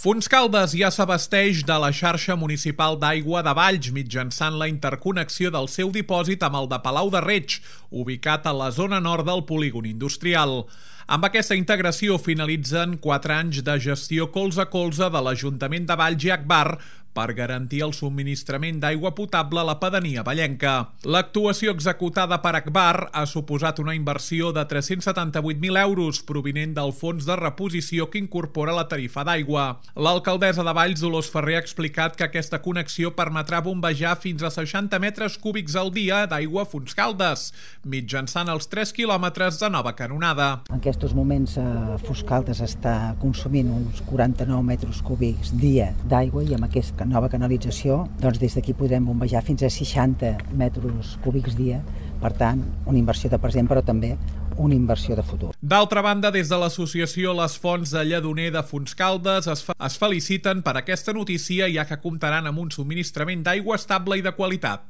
Fontscaldes ja s'abasteix de la xarxa municipal d'aigua de Valls mitjançant la interconnexió del seu dipòsit amb el de Palau de Reig, ubicat a la zona nord del polígon industrial. Amb aquesta integració finalitzen 4 anys de gestió colze a colze de l'Ajuntament de Valls i Agbar per garantir el subministrament d'aigua potable a la pedania vallenca. L'actuació executada per Agbar ha suposat una inversió de 378.000 euros provinent del fons de reposició que incorpora la tarifa d'aigua. L'alcaldessa de Valls, Dolors Ferrer, ha explicat que aquesta connexió permetrà bombejar fins a 60 metres cúbics al dia d'aigua a Fontscaldes, mitjançant els 3 quilòmetres de nova canonada. En aquests moments Fontscaldes està consumint uns 49 metres cúbics dia d'aigua i amb aquesta nova canalització, doncs des d'aquí podrem bombejar fins a 60 metres cúbics dia. Per tant, una inversió de present, però també una inversió de futur. D'altra banda, des de l'associació Les Fonts de Lledoner de Fontscaldes es feliciten per aquesta notícia, ja que comptaran amb un subministrament d'aigua estable i de qualitat.